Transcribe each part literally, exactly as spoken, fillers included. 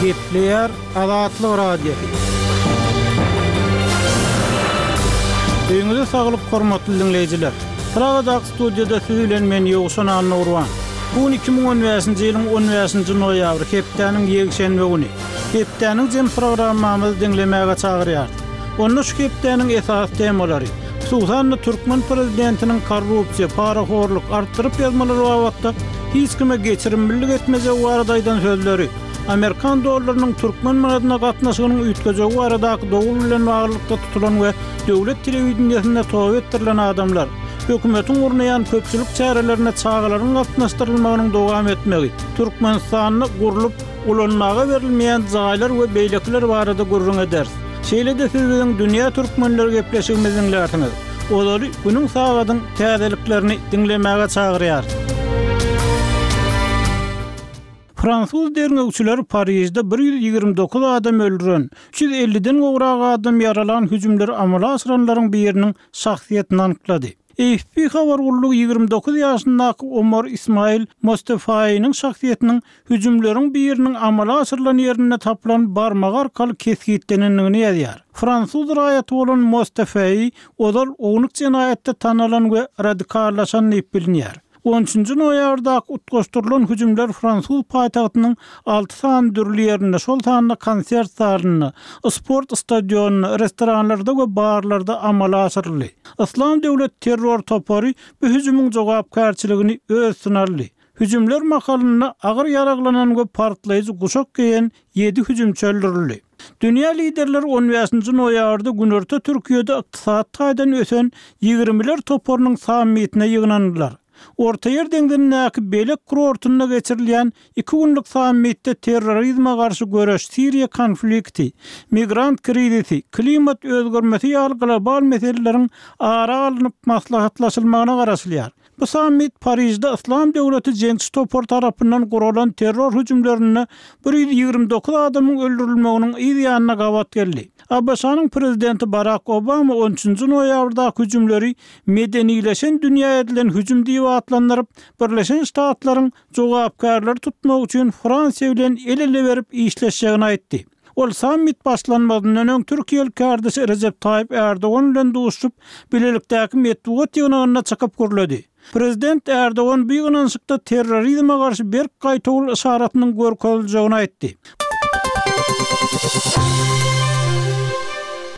Gepleýär Azatlyk Radiosy. Öýüňize saglyk hormatly diňleýjiler. Pragadaky studiýada siz bilen men Ýowşan Annagurban. Bu gün iki müň on bäşinji ýylyň on bäşinji noýabry, hepdäniň ýekşenbe güni. Hepdäniň jem programmamyzy diňlemäge çagyrýarys. Onda şu hepdäniň esasy temalary, hususan-da türkmen prezidentiniň korrupsiýa, parahorluk, artdyryp ýazmalar babatda hiç kime geçirimlilik etmejegi barada aýdan sözleri, amerikan dollarynyň türkmen manadyna gatnaşygynyň üýtgejegi baradaky dowul bilen baglylykda tutulan we döwlet telewideniýesinde toba etdirilen adamlar, hökümetiň gurnaýan köpçülik çärelerine çagalaryň gatnaşdyrylmagynyň dowam etmegi, Türkmenistanda gurlup ulanmaga berilmeýän jaýlar we beýlekiler barada gürrüň ederis. Şeýle-de siz biziň Dünýä Türkmenleri gepleşigimizi diňlärsiňiz. Ozaly günüň sagadyň täzeliklerini diňlemäge çagyrýarys. Fransuz derňewçileri Parižde bir ýüz ýigrimi dokuz adam öldüren, üç ýüz elliden gowrak adam ýaralan hüjümleri amala aşyranlaryň biriniň şahsyýetini anyklady. A F P habar gullugy ýigrimi dokuz ýaşyndaky Omar Ismail Mostefaýynyň şahsyýetiniň hüjümleriň biriniň amala aşyrylan ýerinde tapylan barmagy arkaly kesgitlenendigini ýazýar. Fransuz raýaty bolan Mostefaýy ozal ownuk jenaýatda tanalan we radikallaşan diýip bilinýär. On üçünji noýabrdaky utgaşdyrylan hüjümler fransuz paýtagtynyň alty sany dürli ýerinde, şol sanda konsert zalynda, sport stadionynda, restoranlarda we barlarda amala aşyryldy. Yslam döwlet terror topary bu hüjümiň jogapkärçiligini öz üstüne aldy. Hüjümler mahalynda agyr ýaraglanan we partlaýjy guşak geýen ýedi hüjümçi öldürildi. Dünýä liderleri on bäşinji noýabrda Günorta Türkiýede ykdysady taýdan ösen ýigrimiler toparynyň sammitine ýygnandylar. Ortaýer deňzindäki Belek kurortynda geçirilýän iki günlük sammitde terrorizme garşy göreş, Siriýa konflikti, migrant krizisi, klimat özgermesi ýaly global meseleleriň ara alnyp maslahatlaşylmagyna garaşylýar. Bu sammit Parižde Yslam döwleti jeňçi topar tarapyndan guralan terror hüjümlerinde bir ýüz ýigrimi dokuz adamyň öldürilmeginiň yz ýanyna gabat geldi. A B Ş-nyň prezidenti Barack Obama on üçünji noýabrdaky hüjümleri medenileşen dünýä edilen hüjüm diýip atlandyryp, Birleşen Ştatlaryň jogapkärleri tutmak üçin Fransiýa bilen el-ele berip işleşjegini aýtdy. Ol sammit başlanmazyndan öň Türkiýeli kardeşi Recep Tayyip Erdogan bilen duşup, bilelikdäki metbugat ýygnagynda çykyp gürledi. Prezident Erdogan bu ýygnanyşykda terrorizme garşy berk gaýtawul yşaratynyň görkeziljegini aýtdy.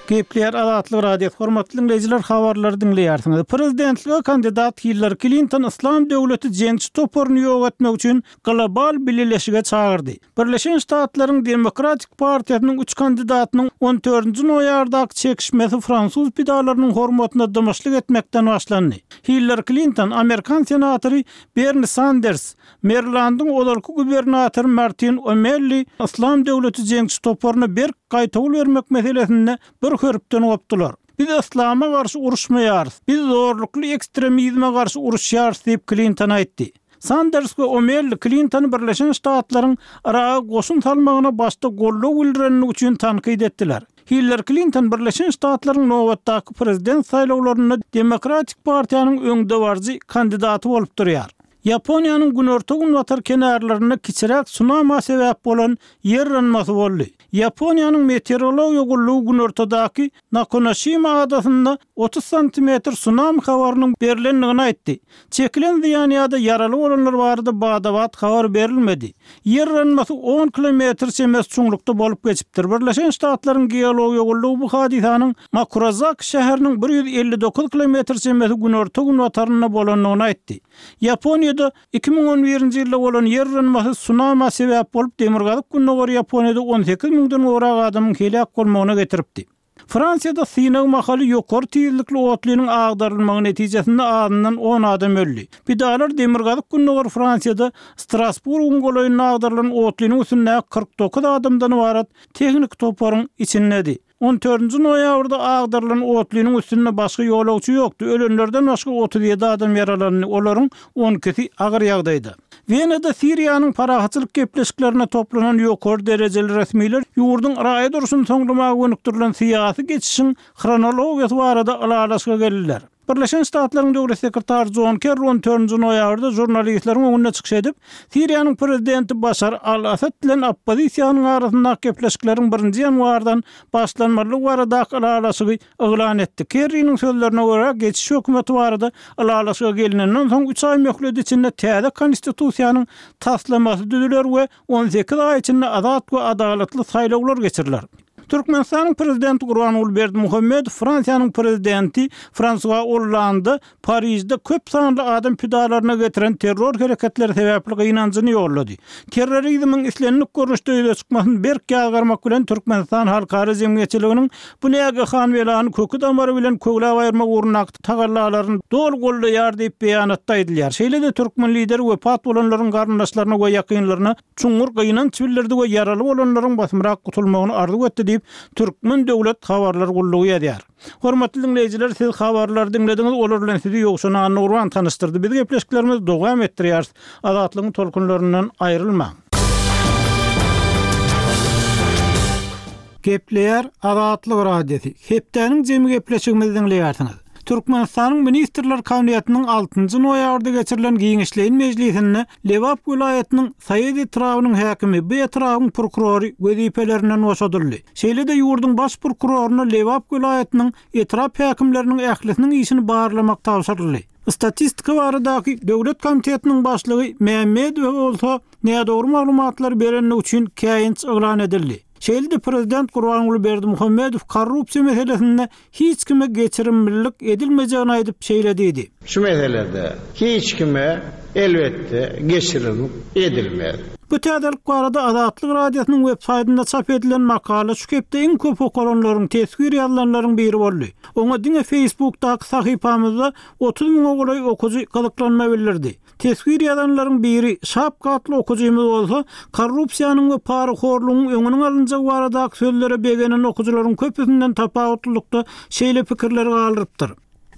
Gepleýär Azatlyk Radiosy, hormatly dinleýjiler, habarlary diňleýärsiňiz. Prezidentlige kandidat Hillary Clinton Yslam döwleti jeňçi toparyny ýok etmek üçin global bileleşige çagyrdy. Birleşen Ştatlaryň Demokratik partiýasynyň üç kandidatynyň on dördünji noýabrdaky çekişmesi fransuz pidalarynyň hormatyna dymyşlyk etmekden başlandy. Hillary Clinton, Amerikan senatory Bernie Sanders, Marylandyň ozalky gubernatory Martin O'Malley Yslam döwleti jeňçi toparyna berk gaýtawul bermek meselesinde bir hörpden gopdular. Biz Yslama garşy uruşmaýarys, biz zorlukly ekstremizme garşy uruşýarys diýip Clinton aýtdy. Sanders we O'Malley Clintony Birleşen Ştatlaryň Yraga goşun salmagyna başda goldaw bildirenligi üçin tankyt etdiler. Hillary Clinton Birleşen Ştatlaryň nobatdaky prezident saýlawlarynda Demokratik partiýanyň öňdebaryjy kandidaty bolup durýar. Ýaponiýanyň günorta-günbatar kenarlarynda kiçiräk tsunama sebäp bolan ýer yranmasy boldy. Ýaponiýanyň meteorologiýa gullugy günortadaky Nakonoşima adasynda otuz santimetr tsunami habarynyň berilendigini aýtdy. Çekilen zyýan ýa-da ýaraly bolanlar barada badabat habar berilmedi. Ýer yranmasy on kilometr çemesi çuňlukda bolup geçipdir. Birleşen Ştatlaryň geologiýa gullugy bu hadysanyň Makurazaki şäheriniň bir ýüz elli dokuz kilometr çemesi günorta-günbatarynda bolandygyny aýtdy. Ýaponiýada iki müň on birinji ýylda bolan ýer yranmasy tsunama sebäp bolup, demirgazyk gündogar Ýaponiýada on sekiz müňden gowrak adamyň heläk bolmagyna getiripdi. Fransiýada synag mahaly ýokary tizlikli otlynyň agdarylmagy netijesinde azyndan on adam öldi. Pidalar demirgazyk gündogar Fransiýada Strasburgyň golaýynda agdarylan otlynyň üstündäki kyrk dokuz adamdan ybarat tehnik toparyň içindedi. On dördünji noýabrda agdarylan otlynyň üstünde başga ýolagçy ýokdy. Ölenlerden başga otuz ýedi adam ýaralandy, olaryň on ikisi agyr ýagdaýda. Wenada Siriýanyň parahatçylyk gepleşiklerine toplanan ýokary derejeli resmiler ýurduň raýat urşuny soňlamaga gönükdirilen syýasy geçişiň hronologiýasy barada ylalaşyga geldiler. Birleşen Ştatlaryň Döwlet sekretary Jon Kerri on dördünji noýabrda žurnalistleriň öňünde çykyş edip, Siriýanyň prezidenti Başar al-Assad bilen oppozisiýanyň arasyndaky gepleşikleriň birinji ýanwardan başlanmalydygy baradaky ylalaşygy yglan etdi. Kerriniň sözlerine görä, geçiş hökümeti barada ylalaşyga gelinenden soň üç aý möhlet içinde täze konstitusiýanyň taslamasy düzüler we on sekiz aý içinde azat we adalatly saýlawlar geçiriler. Türkmenistanyň prezidenti Gurbanguly Berdimuhamedow Fransiýanyň prezidenti Fransua Ollanda Parižde köp sanly adam pidalaryna getiren terror hereketleri sebäpli gynanjyny ýollady. Terrorizmiň islendik görnüşde ýüze çykmasyny berk ýazgarmak bilen Türkmenistan halkara jemgyýetçiliginiň bu nägehan belany köki damary bilen köwläp aýyrmak ugrundaky tagallalaryny doly goldaýar diýip beýanatda aýdylýar. Şeýle-de türkmen lideri wepat bolanlaryň garyndaşlaryna we ýakynlaryna çuňňur gynanç bildirdi we ýaraly bolanlaryň basymrak gutulmagyny arzuw etdi diýip Türkmen döwlet habarlar gullugy ýazýar. Hormatly diňleýjiler, siz habarlary diňlediňiz, olar bilen sizi Ýowşan Annagurban tanyşdyrdy. Biz gepleşiklerimizi dowam etdirýäris. Azatlygyň tolkunlaryndan aýrylmaň. Gepleýär Azatlyk Radiosy. Hepdäniň jemi gepleşigimizi diňleýärsiňiz. Türkmenistanyň Ministrler Kabinetiniň altynjy noýabrda geçirilen giňişleýin mejlisinde Lebap welaýatynyň Saýat etrabynyň häkimi bu etrabyň prokurory wezipelerinden boşadyldy. Şeýle-de ýurduň baş prokuroryna Lebap welaýatynyň etrap häkimleriniň ählisiniň işini barlamak tabşyryldy. Statistika baradaky Döwlet komitetiniň başlygy Mehmedow bolsa nädogry maglumatlar berenligi üçin käýinç yglan edildi. Şeýle-de prezident Gurbanguly Berdimuhamedow korrupsiýa meselesinde hiç kime geçirimlilik edilmejegini aýdyp şeýle diýdi. Şu meselede hiç kime elbetde geçirimlik edilmez. Bu täzelik barada Azatlyk Radiosynyň web saýtynda çap edilen makala şu hepde iň köp okalanlaryň, teswir ýazylanlaryň biri boldy. Oňa diňe Facebookdaky sahypamyzda otuz müňe golaý okujy gyzyklanma bildirdi. Teswir ýazanlaryň biri Şapka atly okujymyz bolsa, korrupsiýanyň we parahorlugyň öňüniň alynjagy baradaky sözlere begenen okujylaryň köpüsinden tapawutlylykda şeýle pikirleri galdyrypdyr.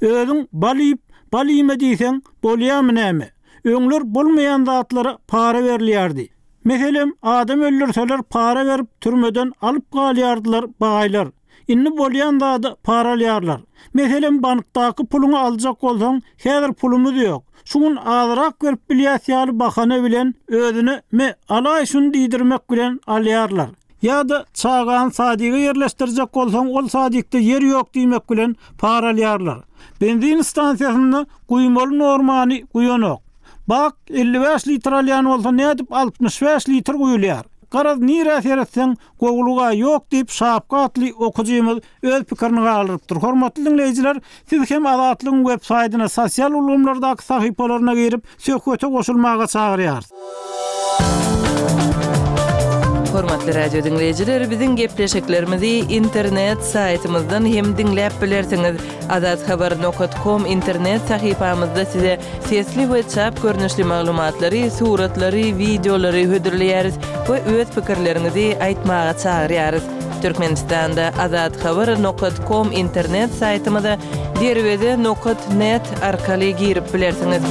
Özüň bal iýip, bal iýme diýseň, bolýarmy näme? Öňler bolmaýan zatlara para berilýärdi. Meselem, adam öldürseler para berip türmeden alyp galýardylar baýlar. Indi bolýan zady para alýarlar. Meselem, bankdaky puluňy aljak bolsaň, häzir pulumyz ýok. Şu gün azrak berip bilýäs ýaly bahana bilen özüne me alaý şuny diýdirmek bilen alýarlar. Ýa-da çagany sadyga ýerleşdirjek bolsaň, ol sadykda ýer ýok diýmek bilen para alýarlar. Benzin stansiýasynda guýmaly normany guýanok. Bak elli bäş litr alýan bolsa nädip altmyş bäş litr guýulýar? Garaz nirä seretseň, gowluga ýok diýip Şapka atly okujymyz öz pikirini galdyrypdyr. Hormatly diňleýjiler, siz hem Azatlygyň web saýtyna, sosial ulgamlardaky sahypalaryna girip, söhbete goşulmaga çagyrýarys. Hormatly radio diňleýjiler, biziň gepleşiklerimizi internet saýtymyzdan hem diňläp bilersiňiz. Azathabar nokta com internet sahypamyzda size sesli we çap görnüşli maglumatlary, suratlary, wideolary hödürleýäris we öz pikirleriňizi aýtmaga çagyrýarys. Türkmenistanda azathabar nokta com internet saýtymyza derweze nokta net arkaly girip bilersiňiz.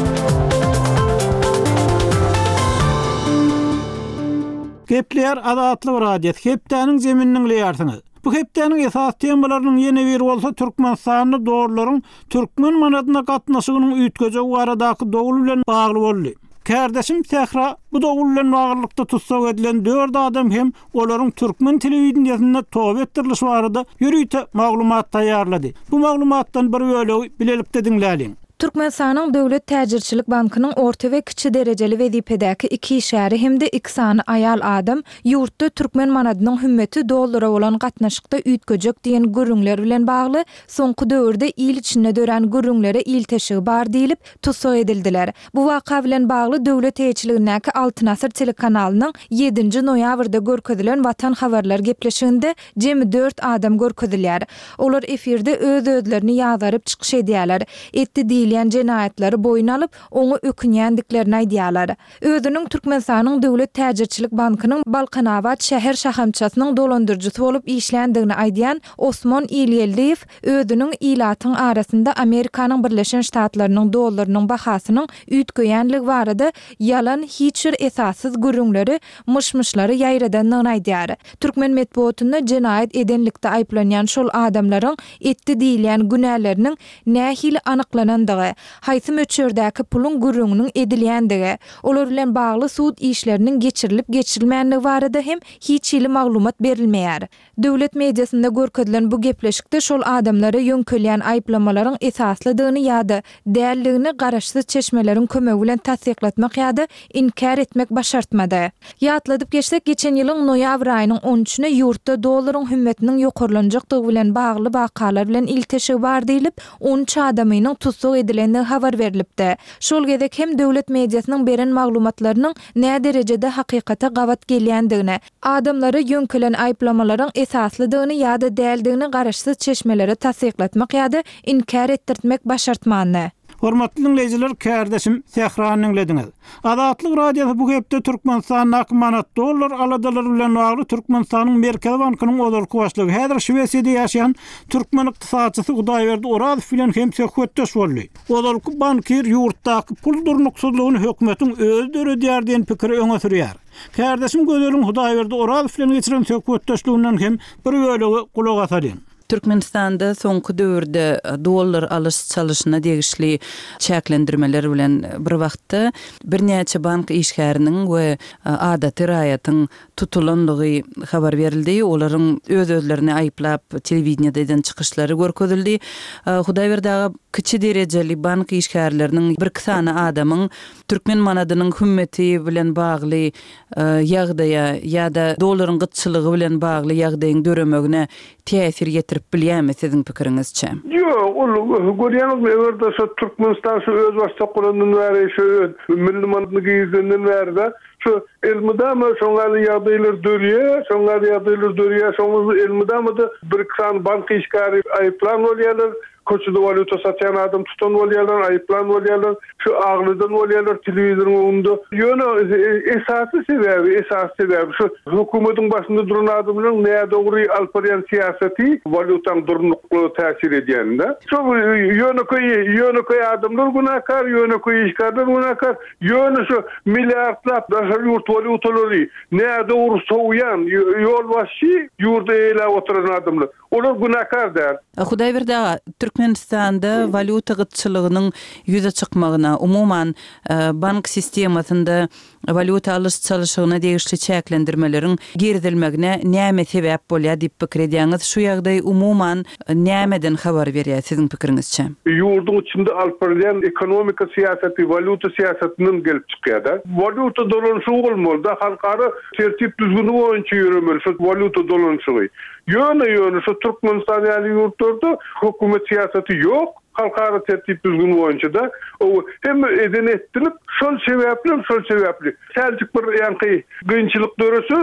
Gepleýär Azatlyk Radiosy. Hepdäniň zeminini diňleýärsiňiz. Bu hepdäniň esas temalarynyň ýene biri bolsa Türkmenistanda dollaryň türkmen manadyna gatnaşygynyň üýtgejegi baradaky dowul bilen bagly boldy. Kardeşim Sähra bu dowul bilen baglylykda tutsak edilen dört adam hem olaryň türkmen telewideniýesinde toba etdirilişi barada ýörite maglumat taýýarlady. Bu maglumatdan bir bölegi bilelikde diňläliň. Türkmenistanyň Döwlet Täjirçilik Bankynyň orta we kiçi derejeli wezipedäki iki işgäri hem-de iki sany aýal adam ýurtda türkmen manadynyň hümmeti dollara bolan gatnaşykda üýtgejek diýen gürrüňler bilen bagly soňky döwürde il içinde dörän gürrüňlere ilteşigi bar diýlip tutsak edildiler. Bu waka bilen bagly döwlet eýeçiligindäki Altyn Asyr telekanalynyň ýedinji noýabrda görkezilen Watan habarlar gepleşiginde jemi dört adam görkezilýär. Olar efirde öz-özlerini ýazaryp çykyş edýärler. Etdi diýilýän diýilýän jenaýatlary boýun alyp, oňa ökünýändiklerini aýdýarlar. Özüniň Türkmenistanyň Döwlet täjirçilik bankynyň Balkanabat şäher şahamçasynyň dolandyryjysy bolup işländigini aýdýan Osmon Ilgeldiýew özüniň ilatyň arasynda Amerikanyň Birleşen Ştatlarynyň dollarynyň bahasynyň üýtgeýänligi barada ýalan, hiç bir esassyz gürrüňleri, myş-myşlary ýaýradandygyny aýdýar. Türkmen metbugatynda jenaýat edenlikde aýyplanýan şol adamlaryň etdi diýilýän günäleriniň nähili anyklanandygy, haýsy möçberdäki puluň gürrüňiniň edilýändigi, olar bilen bagly sud işleriniň geçirilip-geçirilmänligi barada hem hiç hili maglumat berilmeýär. Döwlet mediasynda görkezilen bu gepleşikde şol adamlara ýöňkelýän aýyplamalaryň esaslydygyny ýa-da däldigini garaşsyz çeşmeleriň kömegi bilen tassyklatmak ýa-da inkär etmek başartmady. Ýatladyp geçsek, geçen ýylyň noýabr aýynyň on üçüne ýurtda dollaryň hümmetiniň ýokarlanjakdygy bilen bagly wakalar bilen ilteşigi bar diýlip, on üç adamynyň tussag edilendigi habar berlipdi. Şol gezek hem döwlet mediasynyň beren maglumatlarynyň näderejede hakykata gabat gelýändigini, adamlara ýöňkelen aýyplamalaryň esaslydygyny ýa-da däldigini garaşsyz çeşmelere tassyklatmak ýa-da inkär etdirtmek başartmandy. Hormatly dinleýjiler, kärdeşim Sährany diňlediňiz. Azatlyk Radiosy bu hepde Türkmenistandaky manat dollar aladalary bilen bagly Türkmenistanyň Merkezi bankynyň ozalky başlygy, häzir Şwesiýada ýaşaýan türkmen ykdysatçysy Hudaýberdi Orazow bilen hem söhbetdeş boldy. Ozalky bankir ýurtdaky pul durnuksyzlygyny hökümetiň özi döredýär diýen pikiri öňe sürýär. Kärdeşim Gözeliň Hudaýberdi Orazow bilen geçiren söhbetdeşliginden hem bir bölegi gulak asalyň. Türkmenistanda soňky döwürde dollar alyş çalyşyna degişli çäklendirmeler bilen bir wagtda birnäçe bank işgäriniň we adaty raýatyň tutulanlygy habar berildi. Olaryň öz-özlerini aýyplap telewideniýede eden çykyşlary görkezildi. Hudaýberdi aga, kiçi derejeli bank işgärleriniň bir iki sany adamyň türkmen manadynyň hümmeti bilen bagly ýagdaýa ýa-da dollaryň gytçylygy bilen bagly ýagdaýyň döremegine täsir ýetirip bilýärmi siziň pikiriňizçe? Ýok, ol görýäňizmi, eger-de şu Türkmenistan şu öz başdak bolandan bäri, şu öz milli manadyny girizenden bäri-de şu elmydama şoňa ýagdaýlar dörýär, şoňa ýagdaýlar dörýär, şoňa elmydama da bir iki sany bank işgäri aýyplan bolýarlar, köçede walýuta satýan adam tutan bolýarlar, aýyplan bolýarlar, şu aglydan bolýarlar telewizoryň öňünde. Ýöne esasy sebäbi, esasy sebäbi şu hökümetiň başynda duran adamlaryň nädogry alyp barýan syýasaty walýutaň durnuklygyna täsir edýände. Şu ýönekeý, ýönekeý adamlar günäkär, ýönekeý işgärler günäkär, ýöne şu milliardlap daşary ýurt walýutalary nädogry sowýan ýolbaşçy ýurda eýläp oturan adamlar. Olar günäkär däl. Hudaýberdi aga, Türkmenistanda walýuta gytçylygynyň ýüze çykmagyna, umuman bank sistemasynda walýuta alyş çalyşygyna degişli çäklendirmeleriň girizilmegine näme sebäp bolýar diýip pikir edýäňiz? Şu ýagdaý umuman nämeden habar berýär siziň pikiriňizçe? Ýurduň içinde alyp barylýan ekonomika syýasaty, walýuta syýasatyndan gelip çykýar-da. Walýuta dolanyşygy bolmaly-da, halkara tertip düzgüni boýunça ýöremeli şu walýuta dolanyşygy. Ýöne ýöne şu Türkmenistan ýaly ýurtlarda hökümet syýasaty ýok, halkara tertip düzgüni boýunça da o hem eden etdilip, şol sebäpli, şol sebäpli täjik bir ýaňky kynçylyk dörese,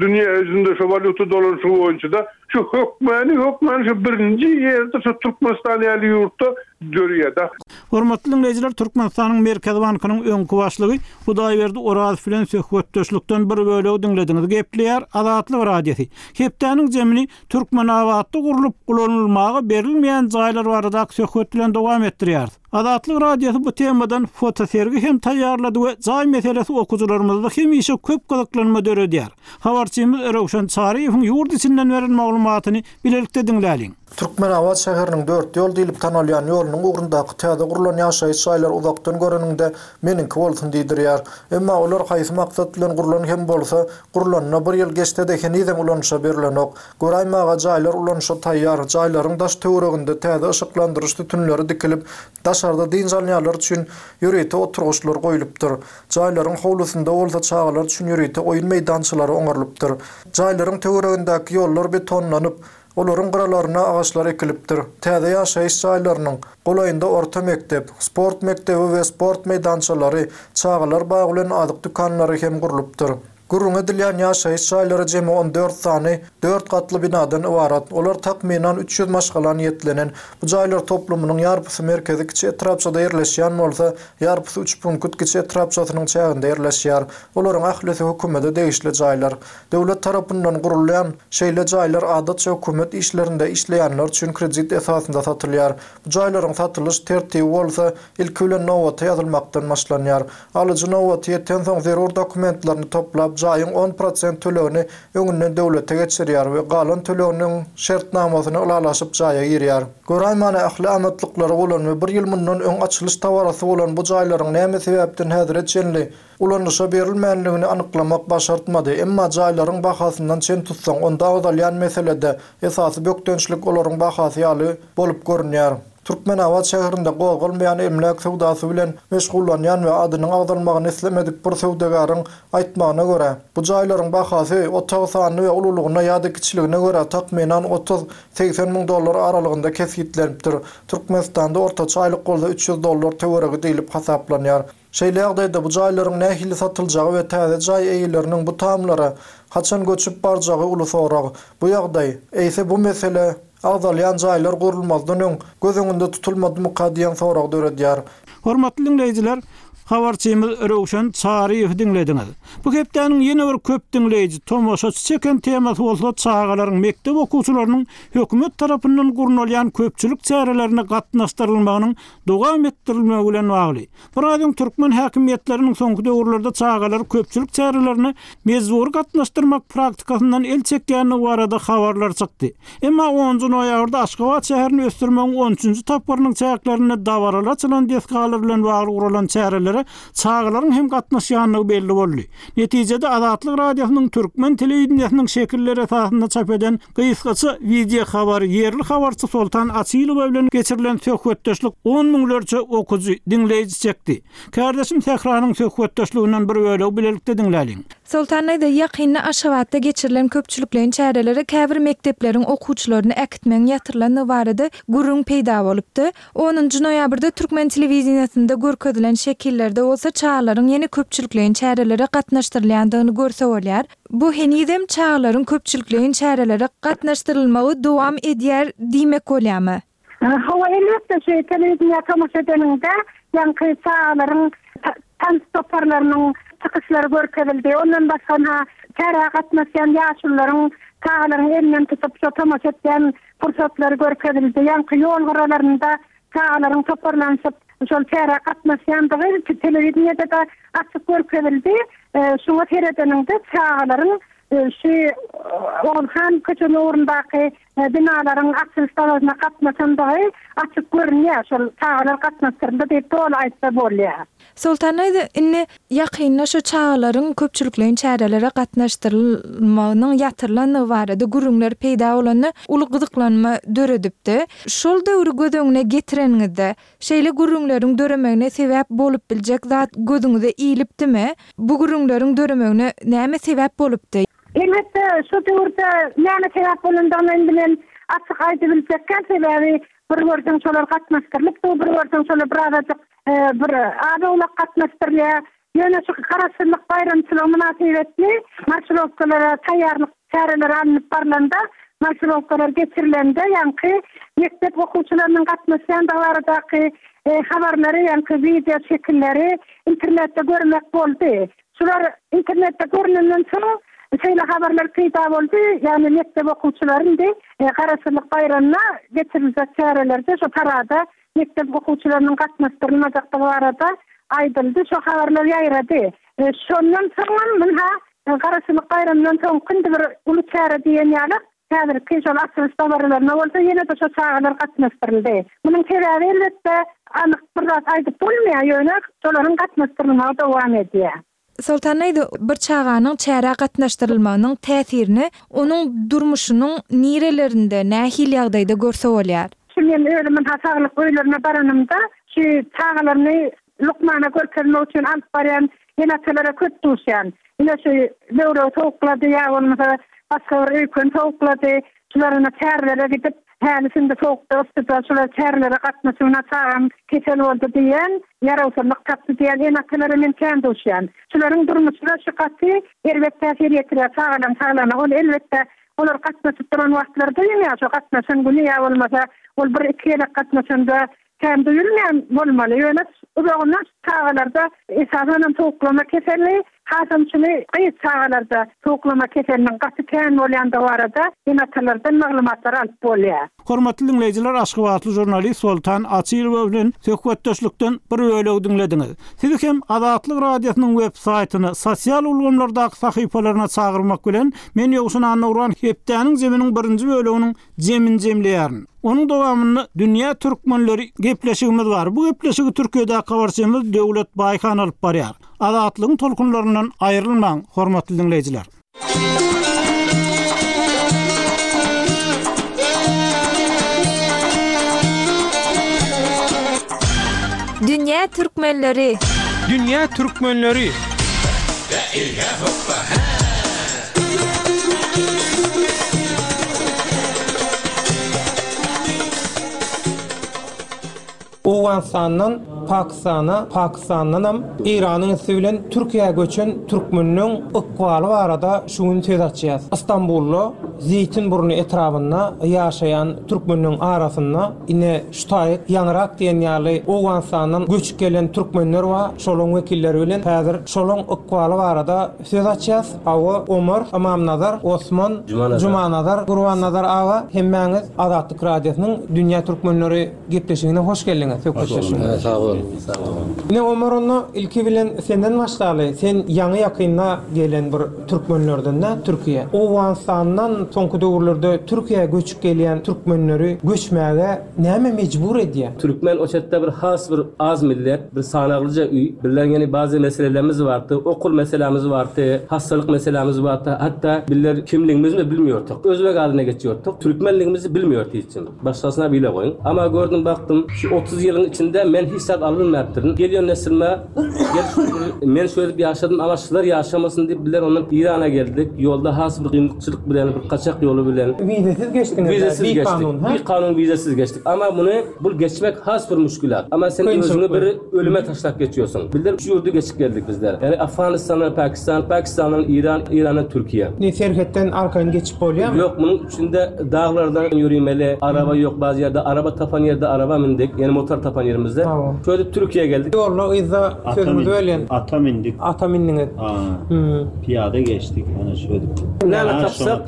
dünýä ýüzünde şu walýuta dolanyşygy boýunça da şu hökmany, hökmany şu birinji ýerde şu Türkmenistan ýaly ýurtda dörýär da. Hormatly dinleýjiler, Türkmenistanyň Merkezi bankynyň öňki başlygy Hudaýberdi Orazow bilen söhbetdeşlikden bir bölegi diňlediňiz. Gepleýär Azatlyk Radiosy. Hepdäniň jemini Türkmenabatda gurlup ulanylmaga berilmeýän jaýlar baradaky söhbet bilen dowam etdirýäris. Azatlyk Radiosy bu temadan fotosergi hem taýýarlady we jaý meselesi okyjylarymyzda hemişe köp gyzyklanma döredýär. Habarçymyz Röwşen Çaryýewiň ýurt içinden beren maglumatyny bilelikde diňläliň. Türkmenabat şäheriniň dört ýol diýlip tanalýan ýolunyň ugrundaky täze gurlan ýaşaýyş jaýlar uzakdan göreniňde meniňki bolsun diýdirýär. Emma olar haýsy maksat bilen gurlan hem bolsa, gurlanyna bir ýyl geçse-de henizem ulanyşa berilenok. Göräýmäge jaýlar ulanyşa taýýar, jaýlaryň daş töwereginde täze yşyklandyryş sütünleri dikilip, daşarda dynç alýanlar üçin ýörite oturgyçlar goýlupdyr. Jaýlaryň howlusynda bolsa çagalar üçin ýörite oýun meýdançalary oňarylypdyr. Jaýlaryň töweregindäki ýollar betonlanyp, olaryň gyralaryna agaçlar ekilipdir. Täze ýaşaýyş jaýlarynyň golaýynda orta mekdep, sport mekdebi we sport meýdançalary, çagalar bagy bilen azyk dükanlary hem gurlupdyr. Gürrüňi edilýän ýaşaýyş jaýlary jemi on dört sany dört gatly binadan ybarat. Olar takmynan üç ýüz maşgala niýetlenen. Bu jaýlar toplumynyň ýarpysy merkezi kiçi etrapçada ýerleşýän bolsa, ýarpysy üç punkut kiçi etrapçasynyň çäginde ýerleşýär. Olaryň ählisi hökümete degişli jaýlar. Döwlet tarapyndan gurulýan şeýle jaýlar adatça hökümet işlerinde işleýänler üçin kredit esasynda satylýar. Bu jaýlaryň satylyş tertibi bolsa ilki bilen nobata ýazylmakdan başlanýar. Alyjy nobaty ýeten soň zerur dokumentlerini toplap, jaýyň on prosent tölegini öňünden döwlete geçirýär we galan töleginiň şertnamasyny ylalaşyp jaýa girýär. Göräýmäne ähli amatlyklary bolan we bir ýyl mundan öň açylyş tabarasy bolan bu jaýlaryň näme sebäpden häzire çenli ulanyşa berilmänligini anyklamak başartmady. Emma jaýlaryň bahasyndan çen tutsaň, onda agzalýan meselede esasy bökdençlik olaryň bahasy ýaly bolup görünýär. Türkmenabat şäherinde gozgalmaýan emläk söwdasy bilen meşgullanýan we adynyň agzalmagyny islemedik bir söwdagäriň aýtmagyna görä, bu jaýlaryň bahasy otag sanyny we ululygyna ýa-da kiçiligine görä takmynan otuz segsen müň dollar aralygynda kesgitlenipdir. Türkmenistanda ortaça aýlyk bolsa üç ýüz dollar töweregi diýlip hasaplanýar. Şeýle ýagdaýda bu jaýlaryň nähili satyljagy we täze jaý eýeleriniň bu tamlara haçan göçüp barjagy uly sorag. Bu ýagdaý, eýse bu mesele agzalýan jaýlar gurulmazdan öň göz öňünde tutulmadymyka diýen sorag döredýär. Hormatly diňleýjiler, habarçymyz Röwşen Çaryýew diňlediňiz. Bu hepdäniň ýene bir köp diňleýji tomaşaçy çeken temasy bolsa çagalaryň mekdep okuwçylarynyň hökümet tarapyndan gurnalýan köpçülik çärelerine gatnaşdyrylmagynyň dowam etdirilmegi bilen bagly. Biraz öň türkmen häkimiýetleriniň soňky döwürlerde çagalary köpçülik çärelerine mejbury gatnaşdyrmak praktikasyndan el çekýändigi barada habarlar çykdy. Emma onunjy noýabrda Aşgabat şäherini ösdürmegiň on üçünji tapgyrynyň çäklerinde dabaraly açylan desgalar bilen bagly guralan çärelere çagalaryň hem gatnaşýandygy belli boldy. Netijede Azatlyk Radiosynyň türkmen telewideniýesiniň şekilleri esasynda çap eden gysgaça video habary ýerli habarçy Soltan Açylowa bilen geçirilen söhbetdeşlik on müňlerçe okujy diňleýji çekdi. Kardeşim Sähranyň söhbetdeşliginden bir bölegi bilelikde diňläliň. Soltan Aýda ýakynda Aşgabatda geçirilen köpçülikleýin çärelere käbir mekdepleriň okuwçylaryny äkitmegiň ýatyrylandygy barada gürrüň peýda bolupdy. Onunjy noýabrda türkmen telewideniýesinde görkezilen şekillerde bolsa çagalaryň ýene köpçülikleýin çärelere gatnaşdyrylýandygyny görse bolýar. Bu henizem çagalaryň köpçülikleýin çärelere gatnaşdyrylmagy dowam edýär diýmek bolýarmy? Hawa, elbetde şu telewideniýe tomaşa edeninde ýaňky çagalaryň tans toparlarynyň çykyşlary görkezildi. Ondan başga ha çärä gatnaşýan ýaşulularyň çagalaryň elinden tutup şu tomaşa etýän pursatlary görkezildi. Ýaňky ýol gyralarynda çagalaryň toparlanyşyp şol çärä gatnaşýandygy telewideniýede de açyk görkezildi. Şuňa seredeninde çagalaryň şu Ogulhan köçesiniň ugrundaky binalaryň açylyş dabarasyna gatnaşandygy açyk görünýär. Şol çagalar gatnaşdyryldy diýip doly aýtsa bolýar. Soltan Aýda, indi ýakynda şu çagalaryň köpçülikleýin çärelere gatnaşdyrylmagynyň ýatyrylandygy barada gürrüňler peýda bolanda uly gyzyklanma döredipdi. Şol döwri göz öňüne getireniňizde şeýle gürrüňleriň döremegine sebäp bolup biljek zat gözüňize ilipdimi? Bu gürrüňleriň döremegine näme sebäp bolupdy? Elbetde şu döwürde näme sebäp bolandygyny indi men açyk aýdyp biljekkä, sebäbi bir gördüm şolar gatnaşdyrylypdy, bir gördüm şolar birazajyk bir az-owlak gatnaşdyrylýar. Ýöne şu Garaşsyzlyk baýramçylygy mynasybetli marşirowkalara taýýarlyk çäreleri alnyp barlanda, marşirowkalar geçirilende ýaňky mekdep okuwçylarynyň gatnaşýandygy baradaky habarlary, ýaňky video şekilleri internetde görmek boldy. Şular internetde görnenden soň şeýle habarlar peýda boldy. Ýagny mekdep okuwçylary indi Garaşsyzlyk baýramyna geçiriljek çärelerde şu parada mekdep okuwçylarynyň gatnaşdyrylmajakdygy barada aýdyldy. Şu habarlar ýaýrady. Şondan soňam munha Garaşsyzlyk baýramyndan soň indi bir uly çäre diýen ýaly häzirki şol açylyş dabaralaryna bolsa ýene-de şu çagalar gatnaşdyryldy. Munuň sebäbi elbetde anyk bir zat aýdyp bolmaýar, ýöne şolaryň gatnaşdyrylmagy dowam edýär. Soltan Aýda, bir çaganyň çärä gatnaşdyrylmagynyň täsirini onuň durmuşynyň nirelerinde nähili ýagdaýda görse bolýar? Şu men özümiň saglyk öýlerine baranymda şu çagalaryny lukmana görkezmek üçin alyp barýan ene-atalara köp duşýan. Ine şu böwregi sowuklady ýa bolmasa başga bir öýken sowuklady. Şularyna çärelere gidip Häli-şindi sowukda, yssyda şular çärelere gatnaşygyna çagam kesel boldy diýen, ýarawsyzlyk tapdy diýen ene-atalara men kän duşýan. Şularyň durmuşyna şu gaty erbet täsir ýetirýär çagalaryň saglygyna. Ol elbetde olar gatnaşyp duran wagtlary duýulýar, şo gatnaşan güni ýa bolmasa ol bir-iki gezek gatnaşanda kän duýulmaýan bolmaly. Ýöne uzagyndan çagalarda esasanam sowuklama keseli, hasam şuny gyz çagalarda sowuklama keseliniň gaty kän bolýandygy barada ene-atalardan maglumatlar alyp bolýar. Hormatly diňleýjiler, Aşgabatly žurnalist Soltan Açylowa bilen söhbetdeşlikden bir bölegi diňlediňiz. Sizi hem Azatlyk Radiosynyň web saýtyna, sosial ulgamlardaky sahypalaryna çagyrmak bilen men Ýowşan Annagurban hepdäniň zeminiň birinji böleginiň zemin jemleýärin. Onuň dowamynda Dünýä Türkmenleri gepleşigimiz bar. Bu gepleşigi Türkiýedäki habarçymyz Döwlet Baýhan alyp barýar. Azatlygyň tolkunlaryndan aýrylmaň, hormatly diňleýjiler. Dünýä Türkmenleri. Dünýä Türkmenleri. Owganistandan Pakistana, Pakistandan hem Eýranyň üsti bilen Türkiýä göçen türkmeniniň ykbaly barada şu gün söz açýas. Istanbulda Zeýtinburnu etrabynda ýaşaýan türkmeniniň arasynda ine şu taýyk ýaňyrak diýen ýaly Owganistandan göçüp gelen türkmenler bar. Şolaryň wekilleri bilen häzir şolaryň ykbaly barada söz açýas. Awa Omar, Ymamnazar, Osman, Jumanazar, Gurbannazar aga hemmäňiz Azatlyk Radiosynyň Dünýä Türkmenleri gepleşigine hoş geldiňiz. Söhbetdeşligine. Sag boluň, sag boluň. Ine Omar onda ilki bilen senden başlaly. Sen ýaňy ýakynda gelen bir türkmenlerden de Türkiýe. Owganistandan soňky döwürlerde Türkiýä göçüp gelýän türkmenleri göçmäge näme mejbur edýär? Türkmen o çetde bir has bir az millet, bir sanaglyja üý. Bizler ýene bazı meselelerimiz bardy, okul meselemiz bardy, hastalyk meselemiz bardy. Hatta bizler kimligimizi bilmiýorduk. Özbek adyna geçýorduk. Türkmenligimizi bilmiýordy hiç kim. Başgasyna bile goýun. Ama gördüm baktım şu otuz ýylyň içinde men hiç zat alynmapdyryn. Gelýän nesilme gel men şöyle ýaşadym ama şular ýaşamasyn diýip bizler ondan İrana geldik. Ýolda has bir kynçylyk bilen bir kaçak ýoly bilen. Vizesiz geçdiňiz. Vizesiz bir geçdik. Kanun, ha? Bir kanun vizesiz geçdik. Ama bunu bu geçmek has bir müşkülat. Ama sen özüňi bir ölüme taşlap geçiyorsun. Bizler şu ýurdu geçip geldik bizler. Yani Afganistandan Pakistan, Pakistandan İran, İrandan Türkiye. Ne serhetden arkaýyn geçip bolýarmy? Yok, bunun içinde dağlardan yürümeli, araba yok bazı yerde, araba tapan yerde araba mindik. Yani motor tapan yerimizde. Tamam. Şöyle Türkiye'ye geldik. Yolla yza sözümüzü öyle. Ata mindik. Ata mindiniz. Hmm. Piyade geçtik. Hani şöyle. Ne tapsak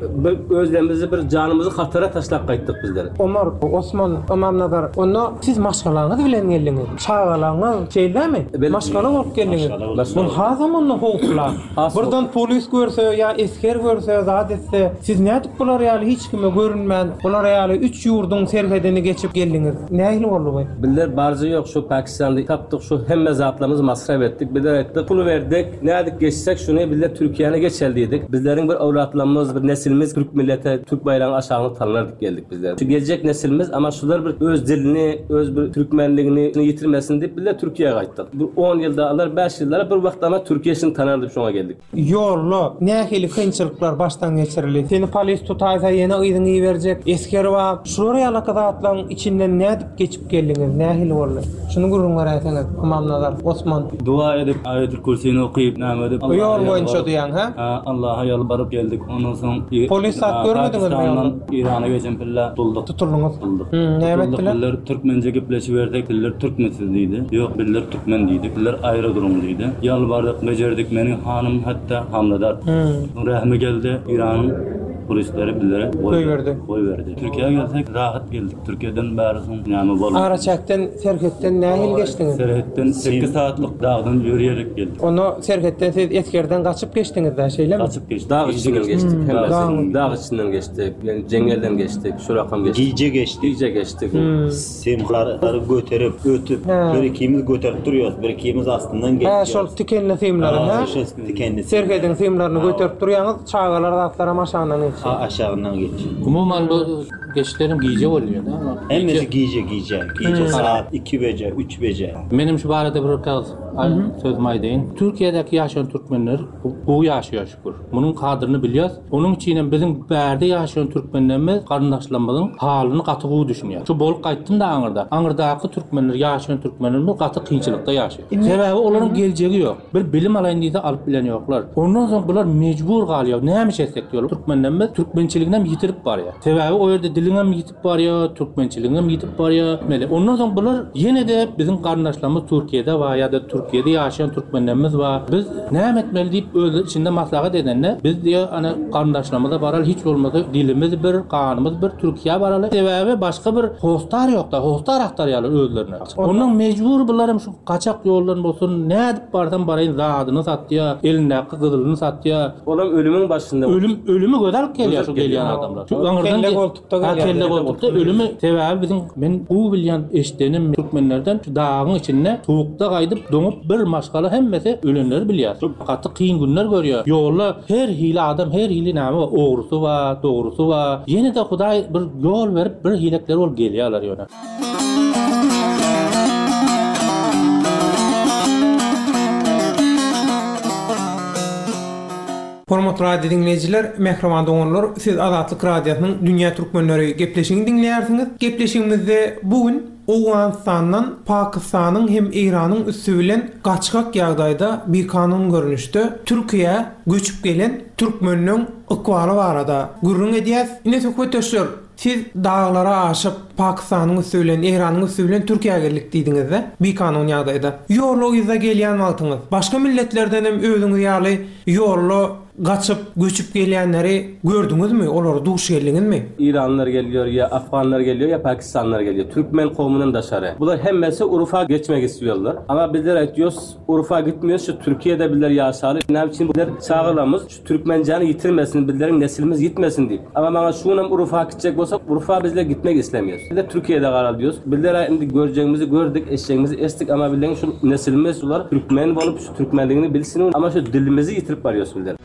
bir özlerimizi bir canımızı hatara taşlap qaytdyk bizler. Omar, Osman, Ymamnazar, onda siz maşgalaňyz bilen geldiňiz. Çagalaňyz şeýlemi? Maşgala bolup geldiňiz. Bun hazam onda howpla. Buradan polis görse ýa esker görse, zat etse, siz nädip bular ýaly hiç kime görünmän, bular ýaly üç ýurduň serhedini geçip geldiňiz. Nähili boldy bu? Bizler barjy ýok şu Pakistanda tapdyk şu hemme zatlarymyzy masraf etdik. Bizler etdik, pul verdik. Nädik geçsek şunu bizler Türkiýäne geçel diýdik. Bizleriň bir awlatlarymyz, bir nesilimiz Türk millete, Türk baýragyny aşagyna tanardyk geldik bizler. Şu gelecek nesilimiz ama şular bir öz dilini, öz bir türkmenligini ýitirmesin diýip bizler Türkiýäye gaýtdyk. Bu on ýylda alar, beş ýylda bir wagt ama Türkiýesini tanardyk şoňa geldik. Ýolda nähili kynçylyklar başdan geçirildi? Seni polis tutaýsa ýene yzyňy berjek, esker bar. Şular ýaly zatlaryň içinden nädip geçip geldiňiz? Nähili boldy? Şuny gürrüň beräýseňiz, Ymamnazar, Osman. Dua edip, aýatul kürsini okyp, näme edip? Ýol boýunça diýen, ha? Ha, Allaha ýalbaryp geldik. Ondan soň polis sat görmediňizmi ýolda? İrana geçen pille tutuldyk. Tutuldyňyz. Tutuldyk. Näme etdiler? Bizler türkmence gepleşip berdik, bizler türkmensiz diýdi. Ýok, bizler türkmen diýdik. Bizler aýry duruň diýdi. Ýalbardyk, bejerdik. Meniň hanym hatda hamladar. Rahmi geldi. İran'ın polisleri bizlere goýberdi. Goýberdi. Türkiýä gelsek rahat geldik. Türkiýeden bäri soň näme boldy? Araçakdan, serhetden nähili geçdiňiz? Serhetden sekiz saatlyk dagdan ýörüyerek geldik. Onu serhetden siz eskerden gaçyp geçdiňiz da, şeýlemi? Gaçyp geçdik. Dağ içinden geçdik. Dağ. Dağ içinden geçdik. Yani cengelden geçtik. Şurakam geçtik. Gije geçtik. Gije geçtik. Hmm. Simları göterip, ötüp, bir ikimiz göterip duruyoruz, bir ikimiz astından geçiyoruz. Ha, şol tikenli simlary, ha? Tikenli. Serhedin simlaryny göterip durýaňyz, çagalar zatlara aşağından geçiyor. Ha, aşağından geçiyor. Umuman bu geçlerim gije bolýar, da? Hemmesi gije, gije. Gije saat iki bece, üç bece. Benim şu barada bir kaz Sözümi aýdaýyn. Türkiýedäki ýaşaýan türkmenler gowy ýaşaýar şükür. Munuň kadryny bilýäs. Onuň üçinem biziň bärde ýaşaýan türkmenlerimiz garyndaşlarymyzyň halyny gaty gowy düşünýär. Şu bolup gaýtdym-da aňyrda. Aňyrdaky türkmenler, ýaşaýan türkmenlerimiz gaty kynçylykda ýaşaýar. Sebäbi olaryň geljegi ýok. Bir bilim alaýyn diýse alyp bilen ýoklar. Ondan soň bular mejbur galýar. Näme iş etsek diýýär. Türkmenlerimiz türkmençiliginem ýitirip barýar. Sebäbi o ýerde diliňem ýitip barýar, türkmençiligiňem ýitip barýar. Mele. Ondan soň bular ýene-de biziň garyndaşlarymyz Türkiýede bar ýa-da Türkiýede ýaşaýan türkmenlerimiz bar. Biz näme etmeli diýip özleri içinde maslahat edende, biz diýýär, ana garyndaşlarymyza baraly, hiç bolmasa dilimiz bir, ganymyz bir, Türkiýä baraly. Sebäbi başga bir hostar ýok-da, hostar agtarýarlar özlerine. Ondan mejbur bular hem şu gaçak ýoldan bolsun, nädip barsam baraýyn zadyny satýar, elindäki gyzylyny satýar. Olam ölümiň başynda. Ölüm, ölümi göze alyp gelýär şu gelýän adamlar. Şu aňyrdan Kelle goltukda gelýär. Kelle goltukda ölümi sebäbi biziň men gowy bilýän eşdenim türkmenlerden şu dagyň içinde sowukda gaýdyp doňup bir maşgala hemmesi ölenleri bilýär. Şu gaty kyn günler görýär. Ýolda her hili adam, her hili näme bar, ogrusy bar, dogrusy bar. Ýene-de Hudaý bir ýol berip bir hilekler bolup gelýärler ýöne. Hormatly radio diňleýjiler, mähriban doganlar, siz Azatlyk Radiosynyň Dünýä Türkmenleri gepleşigini diňleýärsiňiz. Gepleşigimizde bu gün Owganystandan Pakistanyň hem Eýranyň üsti bilen gaçgak ýagdaýda bikanun görnüşde Türkiýä göçüp gelen türkmenleň ykbaly barada gürrüň edýäs. Ine söhbetdeşler, siz daglara aşyp Pakistanyň üsti bilen, Eýranyň üsti bilen Türkiýä geldik diýdiňiz-de, bikanun ýagdaýda. Ýolda yzda gelýän wagtyňyz, başga milletlerden hem özüňiz ýaly ýolda gaçyp, göçüp gelýänleri gördüňizmi, olara duş geldiňizmi? Iranlylar gelýär, ýa afganlar gelýär, ýa pakistanlylar gelýär. Türkmen kowmundan daşary. Bular hemmesi Urfa geçmek istiyorlar. Ama bizler aýtýarys, Urfa gitmiyoruz, şu Türkiýede bizler ýaşaly. Näme üçin bizler çagalarymyz şu türkmenjany ýitirmesin, bizleriň neslimiz ýitmesin diýip. Ama maňa şunam Urfa gitjek bolsa, Urfa bizler gitmek islemiyoruz. Bizler Türkiýede garal diýýäs. Bizler indi görjegimizi gördük, eşjegimizi eşitdik ama bizleriň şu neslimiz şular türkmen bolup şu türkmenligini bilsin ama şu dilimizi ýitirip barýarys bizler.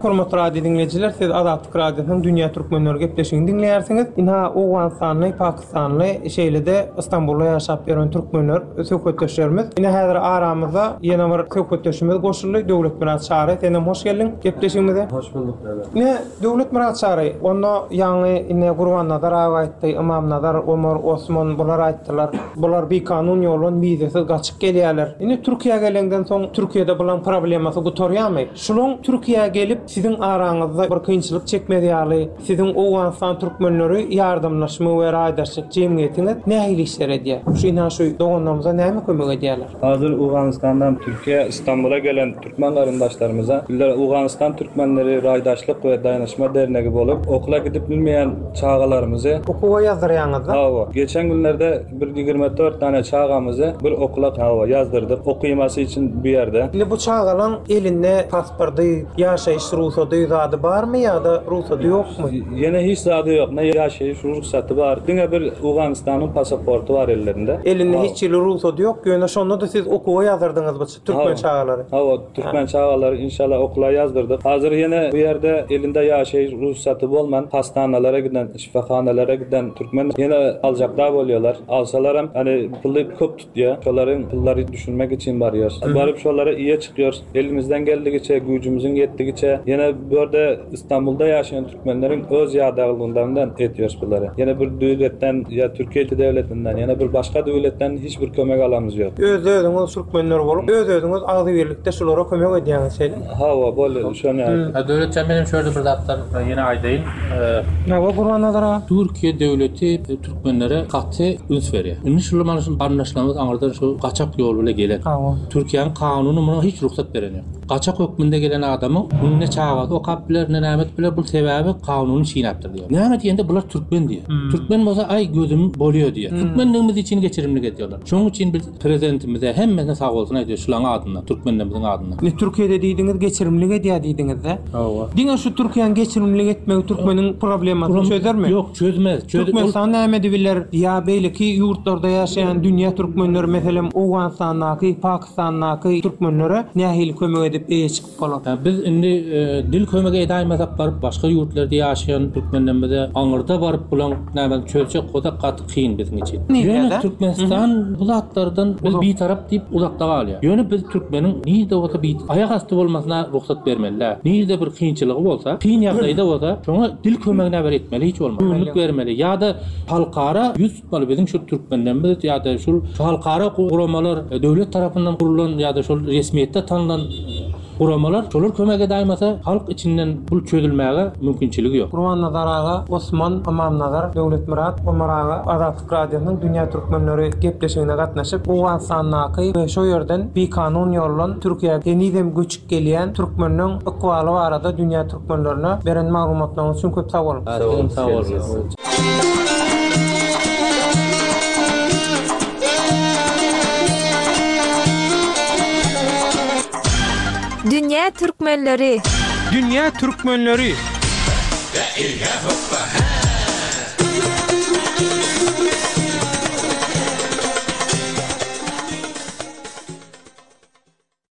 Hormatly radio diňleýjiler, siz Azatlyk Radiosynyň Dünýä Türkmenleri gepleşigini diňleýärsiňiz. Ynha Owganystanly, Pakistanly, şeýle-de Istanbulda ýaşap ýören türkmenler söhbetdeşlerimiz. Ine häzir aramyzda ýene bir söhbetdeşimiz goşuldy. Döwletmyrat Çary, sen hem hoş geldiň gepleşigimize. Hoş bulduk Döwlet. Ine Döwletmyrat Çary, onda ýaňy ine Gurbannazar aga aýtdy, Ymamnazar, Omar, Osman bular aýtdylar. Bular bikanun ýoldan wizesiz gaçyp gelýärler. Ine Türkiýä gelenden soň Türkiýede bulan problemasy gutarýarmy? Şulaň Türkiýä gelip siziň araňyzda bir kynçylyk çekmez ýaly, siziň Owganystan türkmenleri ýardamlaşma we raýdaşlyk jemgyýetiňiz nähili işler edýär? Şu ina şu doganlarymyza näme kömek edýärler? Hazır Owganystandan Türkiýe, Istanbula gelen türkmen garyndaşlarymyza bizler Owganystan türkmenleri raýdaşlyk we daýanyşma dernegi bolup, okula gidip bilmeýän çagalarymyzy okuwa ýazdyrýaňyzda? Hawa, geçen günlerde bir ýigrimi dört tane çagamyzy bir okula hawa ýazdyrdyk. Okuýmasy üçin bu ýerde. Indi bu çagalaň elinde pasporty, ýaşaýyş rugsady zady barmy ýa-da rugsady ýokmy? Ýene hiç zady ýok. Ne ýaşaýyş rugsady bar. Diňe bir Owganystanyň pasaporty bar ellerinde. Elinde hiç ýyly rugsady ýok. Ýöne şonda da siz okuwa ýazdyrdyňyz bu türkmen çagalary. Hawa, türkmen çagalary inşallah okula ýazdyrdyk. Hazır ýene bu ýerde elinde ýaşaýyş rugsady bolman hastanalara giden, şifahanalara giden türkmen ýene aljaklar bolýarlar. Alsalar hem hani puly köp tutýar. Şolaryň pullary düşünmek üçin barýar. Baryp şolara iýe çykýar. Elimizden geldigiçe, güýjümüziň ýetdigiçe ýene bu ýerde Istanbulda ýaşaýan türkmenleriň öz ýadagylygyndan etýär bulary. Ýene bir döwletden ýa Türkiýe döwletinden, ýene bir başga döwletden hiç bir kömek alamyz ýok. Öz özüňiz türkmenler bolup, öz özüňiz agzybirlikde şulara kömek edýäňiz şeýle. Hawa, bolýar, şony. Ha, döwletçe menem şöyle bir zatlar ýene aýdaýyn. Hawa, Gurbannazar aga. Türkiýe döwleti türkmenlere gaty üns berýär. Indi şular mana şu garyndaşlarymyz aňyrdan şu gaçak ýol bilen gelen. Hawa. Türkiýäniň kanuny muňa hiç rugsat beren ýok. Gaçak hökmünde gelen adamyň muny ne çagasy okap biler, ne näme etip biler, bu sebäbi kanuny çiğnäpdir diýär. Näme diýende bular türkmen diýär. Türkmen bolsa aý gözüm bolýar diýär. Türkmenligimiz üçin geçirimlik edýärler. Şonuň üçin biz prezidentimize hemmesine sag bolsun aýdýar şularyň adyndan, türkmenlerimizin adyndan. Ne Türkiýede diýdiňiz geçirimlik edýär diýdiňiz-de? Hawa. Diňe şu Türkiýäniň geçirimlik etmegi türkmeniň problemasyny çözermi? Ýok, çözmez. Çöz Türkmenistan näme edibiler? Ýa beýleki ýurtlarda ýaşaýan dünýä türkmenleri, meselem Owganystandaky, Pakistandaky türkmenlere nähili kömek edip eýe çykyp bolar? Biz indi dil kömegi edäýmesek baryp başga ýurtlarda ýaşaýan türkmenlerimize aňyrda baryp bulaň näme çözjek bolsak gaty kyn biziň üçin. Ýöne Türkmenistan bu zatlardan biz bitarap diýip uzakda galýar. Ýöne biz türkmeniň nirde bolsa bir aýak asty bolmasyna rugsat bermeli. Nirde bir kynçylygy bolsa, kyn ýagdaýda bolsa, şoňa dil kömegine bir etmeli hiç bolmasa. Göwünlik bermeli ýa-da halkara ýüz tutmaly biziň şu türkmenlerimiz ýa-da şu halkara guramalar döwlet tarapyndan gurulan ýa-da şol resmiýetde tanylan guramalar şolar kömek edäýmese halk içinden bul çözülmäge mümkinçiligi ýok. Gurbannazar aga, Osman, Ymamnazar, Döwletmyrat, Omar aga Azatlyk Radiosynyň Dünýä Türkmenleri gepleşigine gatnaşyp, Owganystandaky we şo ýerden bikanun ýoldan Türkiýä henizem göçüp gelýän türkmenleň ykbaly barada Dünýä Türkmenlerine beren maglumatlaryňyz üçin köp sag boluň. Sag boluň. Dünýä Türkmenleri. Dünýä Türkmenleri.